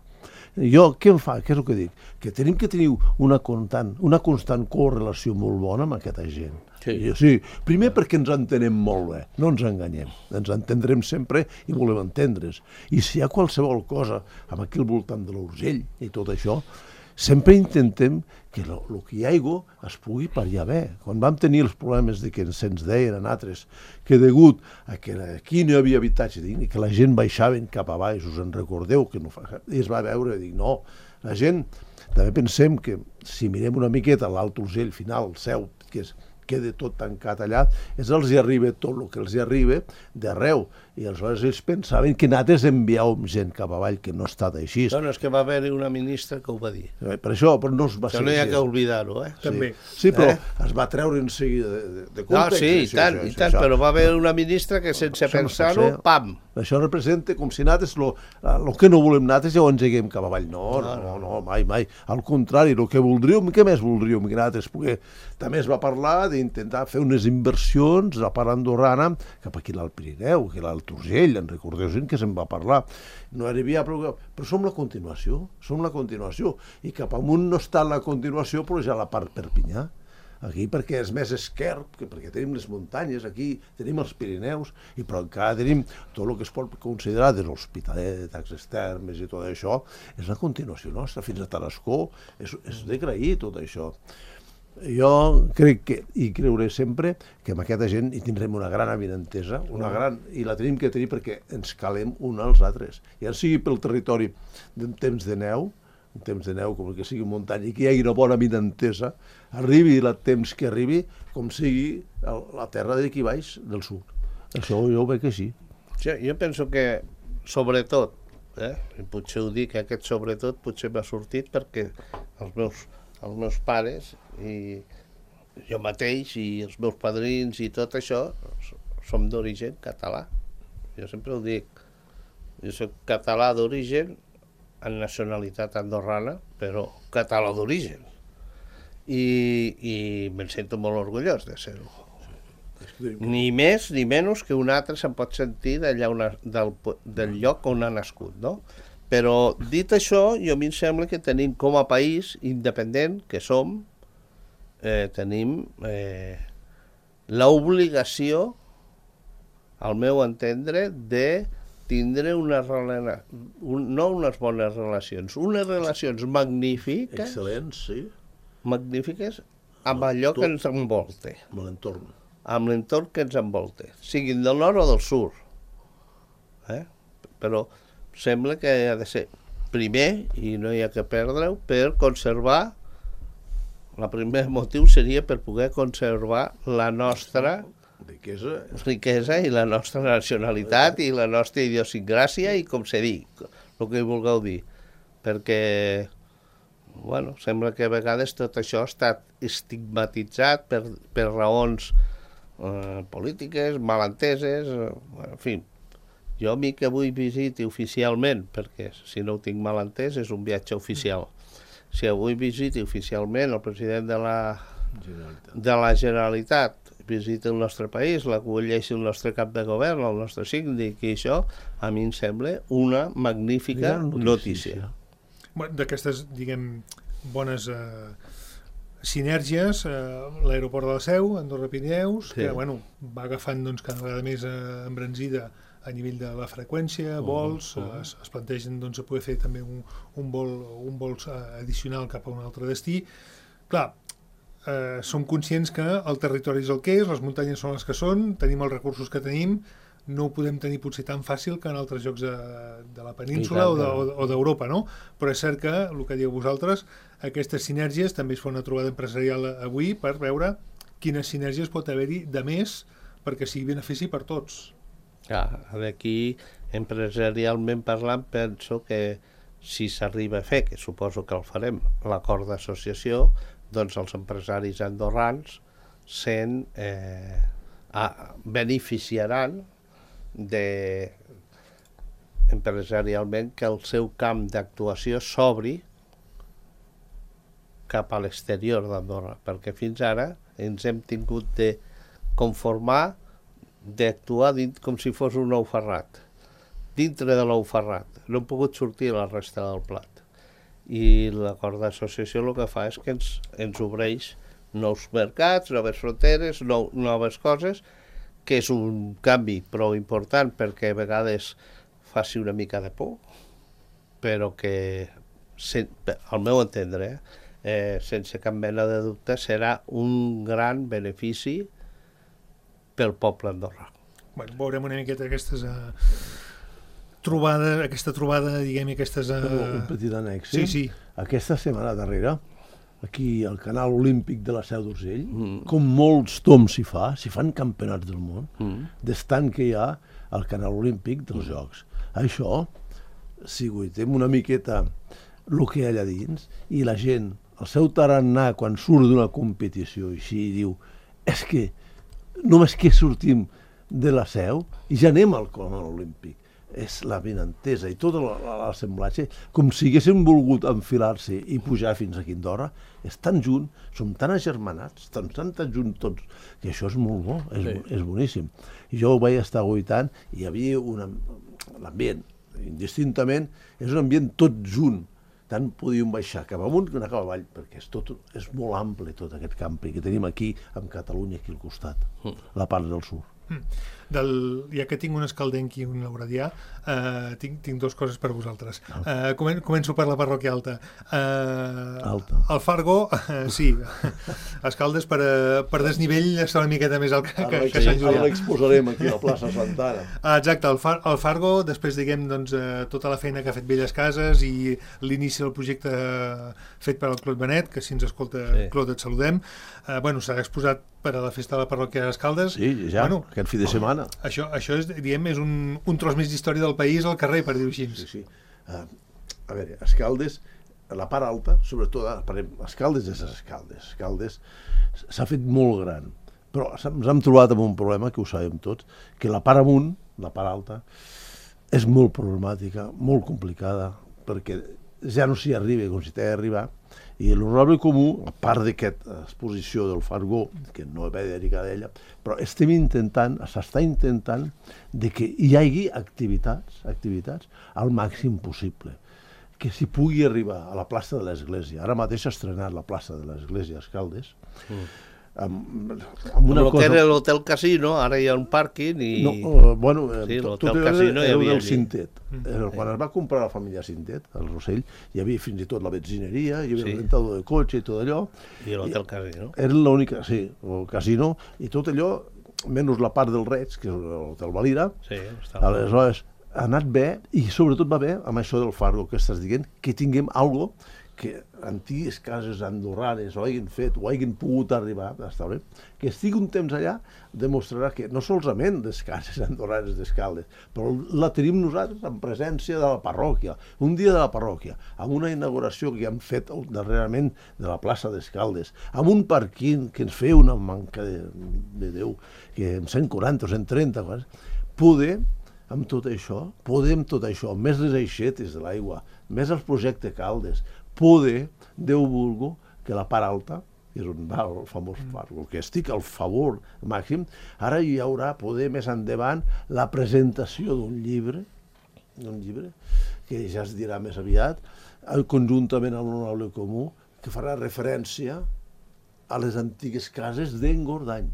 Jo, què em fa? Què és el que dic? Que tenim que tenir una constant, una constant correlació molt bona amb aquesta gent. Sí. I, sí. Primer perquè ens entenem molt bé, no ens enganyem. Ens entendrem sempre i volem entendre's. I si hi ha qualsevol cosa amb aquí al voltant de l'Urgell i tot això, sempre intentem que el que hi hagi es pugui pariar bé. Quan vam tenir els problemes de que se'ns deien a nosaltres que degut a que aquí no hi havia habitatge digne, que la gent baixaven cap a baix, us en recordeu, que no fa... i es va veure i dic, no, la gent, també pensem que si mirem una miqueta l'Alt Urgell final, el seu, que és queda tot tancat allà, és els hi arriba tot el que els hi arriba d'arreu. I aleshores ells pensaven que nosaltres enviàvem gent cap avall, que no ha estat així. No, no, és que va haver-hi una ministra que ho va dir. Per això, però no es va Això ser no hi ha així. que oblidar-ho, eh? També. Sí, però Eh? es va treure en seguida de, de, de No, context. sí, i això, tant, això, i això, tant, això. però va haver una ministra que sense Això no pot pensar-ho, ser. pam! Això representa com si nosaltres el que no volem nosaltres ja ho engeguem cap avall. No, no, no, no, mai, mai. Al contrari, el que voldríem, què més voldríem que nosaltres? Perquè també es va parlar d'intentar fer unes inversions a part andorrana cap aquí a l'Alt Pirineu, que l'Alt Urgell, en recordeu que se'n va parlar. No hi havia però, però som la continuació, som la continuació. I cap amunt no està la continuació, però ja la part Perpinyà. Aquí perquè és més esquerp, que perquè tenim les muntanyes, aquí tenim els Pirineus, i però encara tenim tot el que es pot considerar de l'Hospitalet, Taxes Termes i tot això, és la continuació nostra, fins a Tarascó, és, és d'agrair tot això. Jo crec que, i creuré sempre, que amb aquesta gent hi tindrem una gran avinentesa, una gran, i la tenim que tenir perquè ens calem uns als altres. Ja sigui pel territori d'un temps de neu, un temps de neu, com que sigui muntanya, i que hi hagi una bona avinentesa, arribi el temps que arribi, com sigui el, la terra d'aquí baix del sud. Això jo ho veig així. Jo, jo penso que, sobretot, eh, i potser ho dic, aquest sobretot potser m'ha sortit perquè els meus, els meus pares i jo mateix i els meus padrins i tot això som d'origen català. Jo sempre ho dic. Jo soc català d'origen, en nacionalitat andorrana, però català d'origen. I, i me'n sento molt orgullós de ser-ho. Ni més ni menys que un altre se'n pot sentir d'allà on ha, del, del lloc on ha nascut, no? Però dit això, jo a mi em sembla que tenim com a país independent que som, eh, tenim eh, l'obligació, al meu entendre, de tindre una rela... un, no unes bones relacions, unes relacions magnífiques, Excel·lents, sí, magnífiques amb allò que ens envolta, amb l'entorn. amb l'entorn que ens envolta, siguin del nord o del sud. Eh? Però sembla que ha de ser primer, i no hi ha que perdre-ho, per conservar, el primer motiu seria per poder conservar la nostra Riquesa. riquesa i la nostra nacionalitat i la nostra idiosincràsia i com se dic, el que vulgueu dir. Perquè, bueno, sembla que a vegades tot això ha estat estigmatitzat per, per raons eh, polítiques, malenteses, eh, en fi. Jo a mi que avui visiti oficialment, perquè si no ho tinc mal entès és un viatge oficial, si avui visiti oficialment el president de la, de la Generalitat, visita el nostre país, l'acolleixi el nostre cap de govern, el nostre síndic, i això a mi em sembla una magnífica notícia. Bueno, d'aquestes, diguem, bones eh, sinergies, eh, l'aeroport de la Seu, Andorra-Pirineus, sí. que bueno, va agafant doncs, cada vegada més eh, embranzida a nivell de la freqüència, vols, uh, uh. Es, es plantegen doncs, poder fer també un, un vol, un vol addicional cap a un altre destí. Clar, eh, som conscients que el territori és el que és, les muntanyes són les que són, tenim els recursos que tenim, no ho podem tenir potser tan fàcil que en altres llocs de, de la península o, de, o d'Europa, no? Però és cert que, el que dieu vosaltres, aquestes sinergies també es fa una trobada empresarial avui per veure quines sinergies pot haver-hi de més perquè sigui benefici per tots. Ah, aquí, empresarialment parlant, penso que si s'arriba a fer, que suposo que el farem, l'acord d'associació, doncs els empresaris andorrans se'n eh, ah, beneficiaran de empresarialment que el seu camp d'actuació s'obri cap a l'exterior d'Andorra, perquè fins ara ens hem tingut de conformar d'actuar com si fos un ou ferrat, dintre de l'ou ferrat. No hem pogut sortir a la resta del plat. I l'acord d'associació el que fa és que ens, ens obreix nous mercats, noves fronteres, nou, noves coses, que és un canvi prou important perquè a vegades faci una mica de por, però que, sen, al meu entendre, eh, sense cap mena de dubte, serà un gran benefici pel poble andorrà. Bueno, veurem una miqueta aquestes uh, trobades, aquesta trobada, diguem, aquestes... Uh... Un petit annex, sí, sí. Aquesta setmana darrere, aquí al canal olímpic de la Seu d'Urgell, mm. com molts toms s'hi fa, s'hi fan campionats del món, mm. d'estant que hi ha al canal olímpic dels mm. Jocs. Això, si guaitem una miqueta el que hi ha allà dins, i la gent, el seu tarannà, quan surt d'una competició així, diu, és que només que sortim de la Seu i ja anem al canal olímpic. És la benentesa i tot l'assemblatge, com si haguéssim volgut enfilar-se i pujar fins aquí a Andorra, és tan junt, som tan agermanats, tan, tan, tan junts tots, que això és molt bo, és, sí. és boníssim. I jo ho vaig estar guaitant i hi havia una, l'ambient, indistintament, és un ambient tot junt, tant podíem baixar cap amunt que anar cap avall, perquè és, tot, és molt ample tot aquest campi que tenim aquí, amb Catalunya, aquí al costat, la part del sud. Mm. Del, ja que tinc un escaldenc i un lauradià, eh, tinc, tinc dues coses per vosaltres. Eh, comen, començo per la parròquia alta. Eh, alta. El Fargo, eh, sí, Escaldes per, per desnivell està una miqueta més alt que, que, que Sant Julià. Ara l'exposarem aquí a la plaça Santana. Ah, exacte, el, Far, el Fargo, després diguem doncs, eh, tota la feina que ha fet Belles Cases i l'inici del projecte fet per el Claude Benet, que si ens escolta, sí. Claude, et saludem. Eh, bueno, s'ha exposat per a la festa de la parròquia d'Escaldes. Sí, ja, bueno, aquest fi de setmana. Això, això és, diguem, és un, un tros més d'història del país al carrer, per dir-ho així. Sí, sí. Uh, a veure, Escaldes, la part alta, sobretot, Escaldes és Escaldes. Escaldes s'ha fet molt gran, però ens hem trobat amb un problema, que ho sabem tots, que la part amunt, la part alta, és molt problemàtica, molt complicada, perquè ja no s'hi arriba com si t'ha d'arribar, i l'honorable comú, a part d'aquesta exposició del Fargó, que no va dedicar d'ella, però estem intentant, s'està intentant de que hi hagi activitats, activitats al màxim possible, que s'hi pugui arribar a la plaça de l'Església. Ara mateix s'ha estrenat la plaça de l'Església a Escaldes, mm. amb, amb una el cosa... que era l'Hotel Casino, ara hi ha un pàrquing i... No, uh, bueno, sí, tot era, Casino era del Cintet. Mm. Quan es va comprar la família Cintet, al Rossell, hi havia fins i tot la benzineria, hi havia sí. el rentador de cotxe i tot allò. I l'Hotel Casino. Era l'única, sí, el casino, i tot allò, menys la part del Reig, que és l'Hotel Valira, sí, aleshores ha anat bé, i sobretot va bé amb això del Fargo que estàs dient, que tinguem algo que antigues cases andorranes ho hagin fet, o hagin pogut arribar a estar bé, que estigui un temps allà demostrarà que no solament les cases andorranes d'Escaldes, però la tenim nosaltres en presència de la parròquia, un dia de la parròquia, amb una inauguració que hem fet darrerament de la plaça d'Escaldes, amb un parquín que ens feia una manca de, de Déu, que amb cent quaranta o cent trenta, poder, amb tot això, podem tot això, més les aixetes de l'aigua, més els projectes Caldes, poder, Déu vulgo, que la part alta, que és on va el famós part, el que estic al favor màxim, ara hi haurà poder més endavant la presentació d'un llibre, d'un llibre, que ja es dirà més aviat, conjuntament amb l'Honorable Comú, que farà referència a les antigues cases d'en Gordany.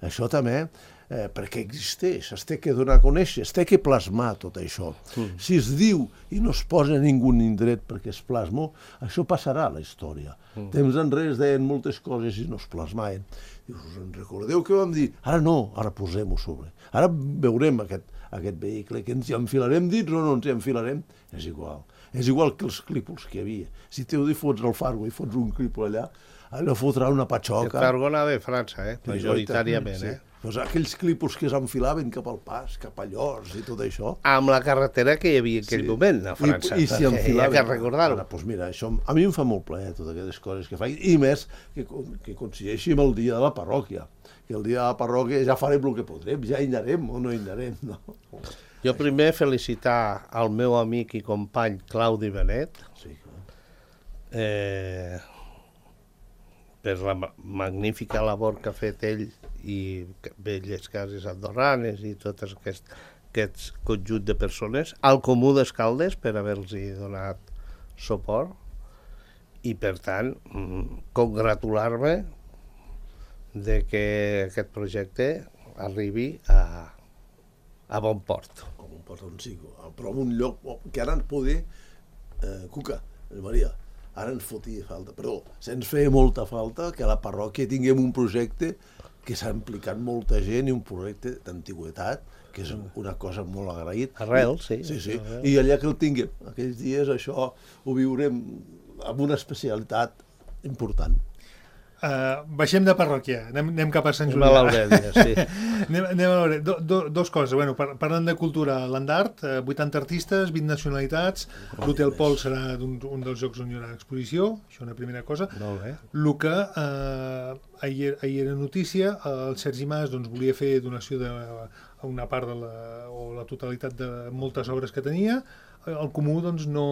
Això també, eh, perquè existeix, es té que donar a conèixer, es té que plasmar tot això. Mm. Si es diu i no es posa ningú indret perquè es plasmo, això passarà a la història. Mm. Temps enrere es deien moltes coses i no es plasmaven. Dius, us en recordeu què vam dir? Ara no, ara posem-ho sobre. Ara veurem aquest, aquest vehicle, que ens hi enfilarem dins o no ens hi enfilarem, és igual. És igual que els clípols que hi havia. Si t'heu de fots al Fargo i fots un clípol allà, allò fotrà una patxoca. El Fargo anava a França, eh? majoritàriament. Sí. Eh? Pues aquells clípols que s'enfilaven cap al pas, cap a Llors i tot això. Amb la carretera que hi havia en aquell sí. moment a França. I, i si enfilaven. Hi ha que recordar-ho. Ara, pues mira, això, a mi em fa molt plaer totes aquestes coses que faig, i més que, que coincideixi amb el dia de la parròquia. Que el dia de la parròquia ja farem el que podrem, ja hi anarem o no hi anarem. No? Jo primer felicitar al meu amic i company Claudi Benet, sí, eh, per la magnífica labor que ha fet ell i Belles Cases Andorranes i tot aquest, aquest conjunt de persones, al Comú d'Escaldes per haver-los donat suport i per tant congratular-me de que aquest projecte arribi a, a bon port. Com un port on sí, però en un lloc que ara ens poder, eh, Cuca, Maria, ara ens fotia falta, perdó, se'ns feia molta falta que a la parròquia tinguem un projecte que s'ha implicat molta gent i un projecte d'antigüetat, que és una cosa molt agraït. Arrel, sí. Sí, sí, i allà que el tinguem, aquells dies això ho viurem amb una especialitat important. Uh, baixem de parròquia, anem, anem cap a Sant Julià. Anem a l'Aurèlia, sí. anem, anem a l'Aurèlia. Do, do, dos coses, bueno, par parlant de cultura, l'Andart, uh, vuitanta artistes, vint nacionalitats, l'Hotel Pol serà un, un dels llocs on hi haurà exposició, això una primera cosa. Molt bé. El que uh, ahir, ahir era notícia, el Sergi Mas doncs, volia fer donació de una part de la, o la totalitat de moltes obres que tenia, el Comú doncs no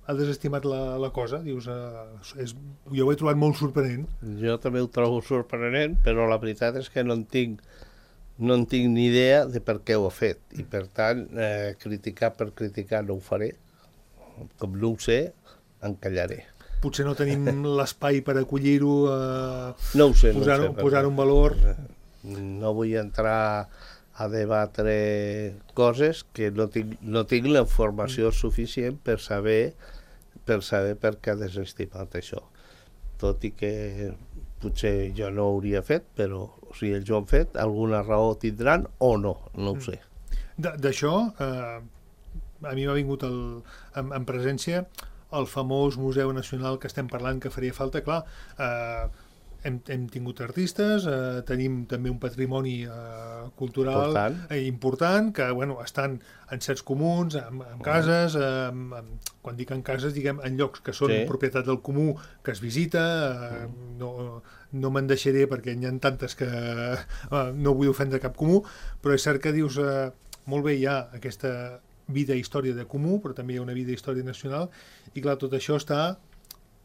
ha desestimat la, la cosa, dius, eh, és, jo ho he trobat molt sorprenent. Jo també ho trobo sorprenent, però la veritat és que no en tinc, no en tinc ni idea de per què ho ha fet, i per tant, eh, criticar per criticar no ho faré, com no ho sé, encallaré. Potser no tenim l'espai per acollir-ho, eh, no ho sé, posar-ho no sé, posar en valor. No vull entrar a debatre coses que no tinc, no tinc la informació suficient per saber per saber per què ha desestimat això. Tot i que potser jo no ho hauria fet, però si ells ho han fet, alguna raó tindran o no, no ho sé. D'això, eh, a mi m'ha vingut el, en, en presència el famós Museu Nacional que estem parlant que faria falta, clar, eh, Hem, hem tingut artistes, eh, tenim també un patrimoni eh, cultural important. Eh, important, que bueno, estan en certs comuns, en, en cases, eh, en, quan dic en cases, diguem en llocs que són sí. propietat del comú, que es visita, eh, no, no me'n deixaré perquè n'hi ha tantes que eh, no vull ofendre cap comú, però és cert que dius, eh, molt bé, hi ha aquesta vida i història de comú, però també hi ha una vida i història nacional, i clar, tot això està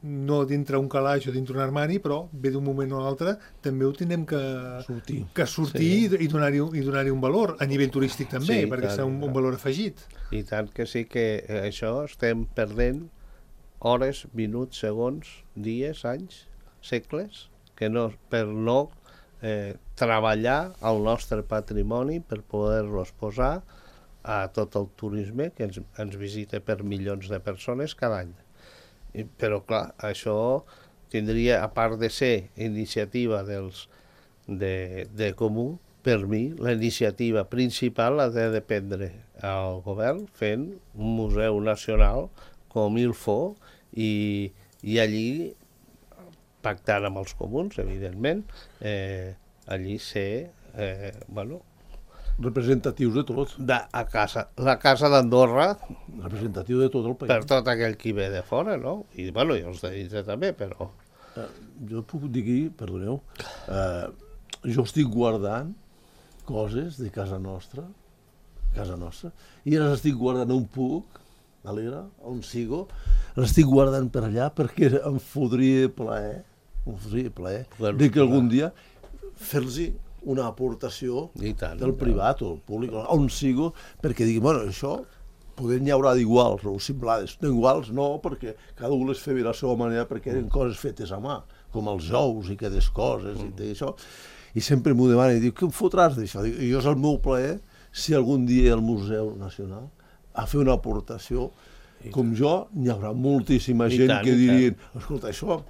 no dintre un calaix o dintre un armari, però ve d'un moment o l'altre, també ho tenim que sortir, que sortir sí. i donar-hi donar un valor, a nivell turístic també, sí, perquè serà un, un valor afegit. I tant que sí que això estem perdent hores, minuts, segons, dies, anys, segles, que no, per no eh, treballar el nostre patrimoni per poder-los posar a tot el turisme que ens, ens visita per milions de persones cada any. Però clar, això tindria, a part de ser iniciativa dels, de, de comú, per mi la iniciativa principal ha de dependre al govern fent un museu nacional com il faut i, i allí pactant amb els comuns, evidentment, eh, allí ser, eh, bueno, representatius de tot. De, a casa, la casa d'Andorra, representatiu de tot el país. Per tot aquell qui ve de fora, no? I, bueno, i els de dintre també, però... Eh, jo puc dir, perdoneu, eh, jo estic guardant coses de casa nostra, casa nostra, i ara les estic guardant on puc, Galera, on sigo, l'estic guardant per allà perquè em fodria plaer, em fodria plaer, Bueno, de que algun dia fer-los una aportació I tant, del privat o públic, on sigo, perquè digui, bueno, això poder n'hi haurà d'iguals o similars. No iguals no, perquè cada un les feia de la seva manera perquè eren coses fetes a mà, com els ous i aquestes coses i tot això. I sempre m'ho demana i diu, què em fotràs d'això? I jo és el meu plaer si algun dia el Museu Nacional a fer una aportació, com jo, n'hi haurà moltíssima gent tant, que dirien, escolta, això,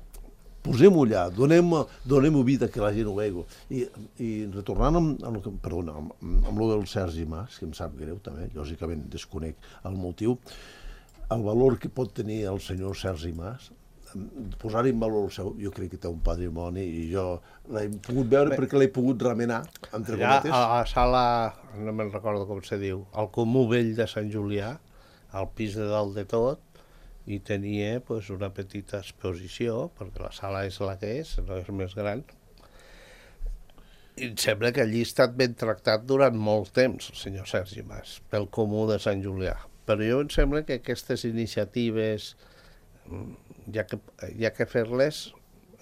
posem-ho allà, donem-ho donem vida que la gent ho vegi. I, i retornant amb, amb, el que- perdona, amb, amb lo del Sergi Mas, que em sap greu també, lògicament desconec el motiu, el valor que pot tenir el senyor Sergi Mas, posar-hi en valor el seu, jo crec que té un patrimoni i jo l'he pogut veure Bé, perquè l'he pogut remenar, entre Allà cometes. a la sala, no me'n recordo com se diu, al Comú Vell de Sant Julià, al pis de dalt de tot, i tenia pues, una petita exposició, perquè la sala és la que és, no és més gran. I em sembla que allí ha estat ben tractat durant molt temps, el senyor Sergi Mas, pel Comú de Sant Julià. Però jo em sembla que aquestes iniciatives hi ha que, hi ha que fer-les,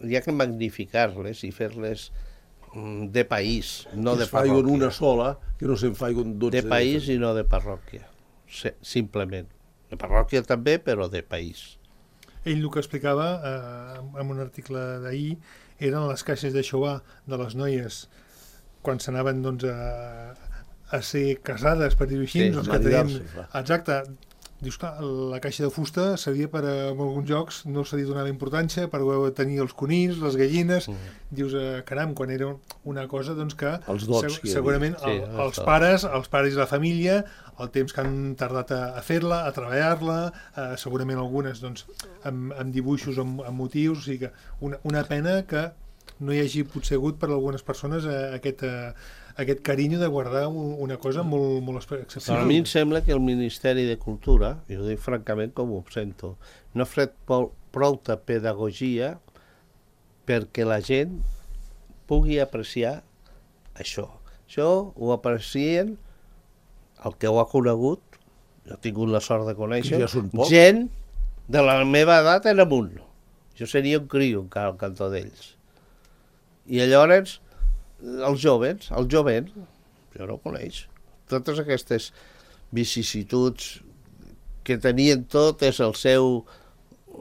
hi ha que magnificar-les i fer-les de país, no que de es faiguen parròquia. una sola, que no se'n faiguen dotze. De país i no de parròquia, simplement. De parròquia també, però de país. Ell el que explicava eh, en un article d'ahir eren les caixes de xovà de les noies quan s'anaven doncs, a, a ser casades, per dir-ho així, Sí, doncs, que tenien... maridar-se, clar. Exacte. Dius, clar, la caixa de fusta servia per, en alguns jocs, no se li donava importància, per tenir els conills, les gallines. Mm. Dius, eh, caram, quan era una cosa doncs, que Els dots seg que hi havia. segurament Sí, el, els els dots. pares, els pares i la família, el temps que han tardat a, a fer-la, a treballar-la, eh, segurament algunes doncs, amb, amb dibuixos, amb, amb motius, o sigui que una, una pena que no hi hagi potser hagut per a algunes persones eh, aquest, eh, aquest carinyo de guardar una cosa molt, molt excepcional. A mi em sembla que el Ministeri de Cultura, i ho dic francament com ho sento, no ha fet prou, prou pedagogia perquè la gent pugui apreciar això. Això ho aprecien el que ho ha conegut, jo he tingut la sort de conèixer, Que ja són pocs. gent de la meva edat en amunt. Jo seria un criu encara al cantó d'ells. I llavors, els joves, el jovent, jo no ho coneix. Totes aquestes vicissituds que tenien tot és el seu,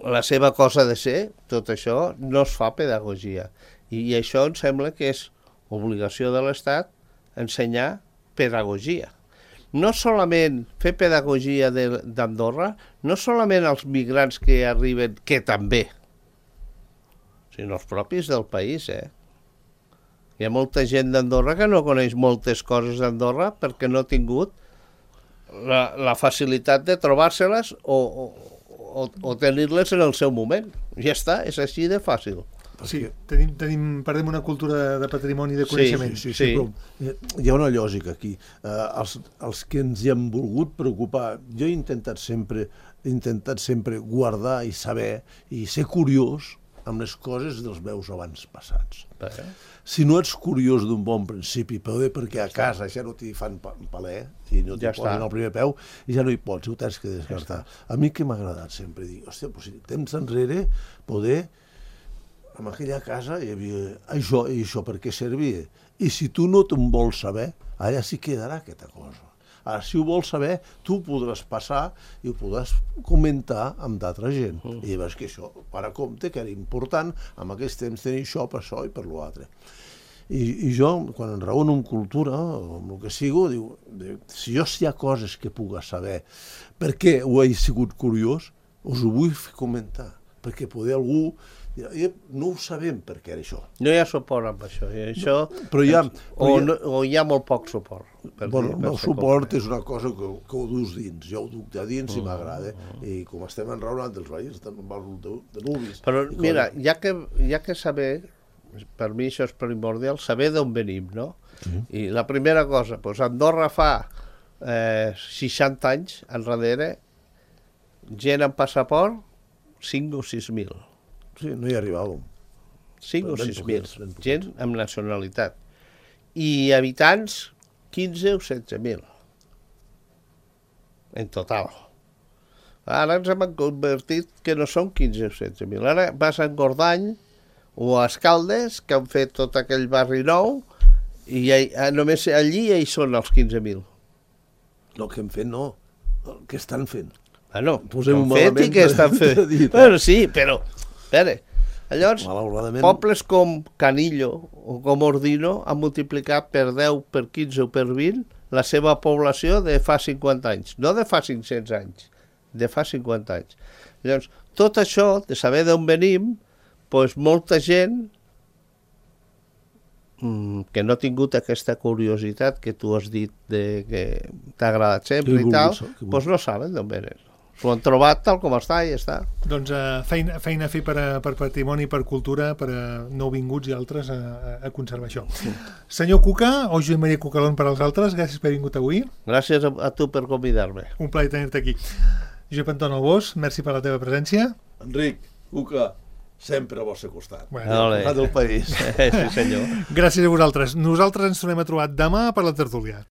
la seva cosa de ser, tot això no es fa pedagogia. I, i això em sembla que és obligació de l'Estat ensenyar pedagogia. No solament fer pedagogia d'Andorra, no solament als migrants que arriben, que també, sinó els propis del país, eh? Hi ha molta gent d'Andorra que no coneix moltes coses d'Andorra perquè no ha tingut la, la facilitat de trobar-se-les o, o, o, o tenir-les en el seu moment. Ja està, és així de fàcil. Sí, tenim, tenim, perdem una cultura de patrimoni de coneixement. Sí, sí, sí, però eh, hi ha una lògica aquí. Eh, els, els que ens hi hem volgut preocupar, jo he intentat sempre, he intentat sempre guardar i saber i ser curiós amb les coses dels meus abans passats. Eh? Si no ets curiós d'un bon principi, però bé perquè a casa ja no t'hi fan pa paler i no t'hi Ja posen està. al primer peu i ja no hi pots, ho tens que descartar. A mi que m'ha agradat sempre dir, hòstia, doncs, si temps enrere poder en aquella casa hi havia això i això per què servia. I si tu no te'n vols saber, allà sí quedarà aquesta cosa. Ara, si ho vols saber, tu podràs passar i ho podràs comentar amb d'altra gent. Uh -huh. I veus que això, per a compte, que era important en aquest temps tenir això per això i per l'altre. I, I jo, quan em raono amb cultura, o amb el que sigo, diu, diu, si jo hi ha coses que puc saber per què ho he sigut curiós, us ho vull comentar, perquè poder algú no ho sabem per què era això. No hi ha suport amb això. I això però hi ha, o, però hi ha, no, o hi ha molt poc suport. Per bueno, dir, el per meu ser suport concret. és una cosa que, que ho dus dins. Jo ho duc de dins i m'agrada. I com estem enraonant dels veïns, estem en valor de, de nuvis. Però I mira, coses. hi ha que, hi ha que saber, per mi això és primordial, saber d'on venim, no? Sí. I la primera cosa, doncs Andorra fa eh, seixanta anys enrere, gent amb passaport, cinc o sis mil. Sí, no hi arribàvem. cinc o Ben sis mil, poquets, ben poquets. gent amb nacionalitat. I habitants, quinze o setze mil. En total. Ara ens hem convertit que no són quinze o setze mil. Ara vas a Engordany o a Escaldes, que han fet tot aquell barri nou, i ja, només allí ja hi són els quinze mil. El que hem fet no, el que estan fent. Bueno, Posem-ho que han fet i que estan fent. Bueno, sí, però, espera, llavors, pobles com Canillo o com Ordino han multiplicat per deu, per quinze o per vint la seva població de fa cinquanta anys, no de fa cinc-cents anys, de fa cinquanta anys. Llavors, tot això, de saber d'on venim, doncs molta gent mmm, que no ha tingut aquesta curiositat que tu has dit de que t'ha agradat sempre i tal, doncs no saben d'on venen. S'ho han trobat tal com està i ja està. Doncs uh, feina, feina a fer per, a, per patrimoni, per cultura, per a nouvinguts i altres a, a, a conservar això. Sí. Senyor Cuca, o Josep Maria Cucalón per als altres, gràcies per haver vingut avui. Gràcies a, a tu per convidar-me. Un plaer tenir-te aquí. Josep Anton Albós, merci per la teva presència. Enric, Cuca, sempre al vostre costat. Bueno, al costat del país. Sí, senyor. Gràcies a vosaltres. Nosaltres ens tornem a trobar demà per la tertúlia.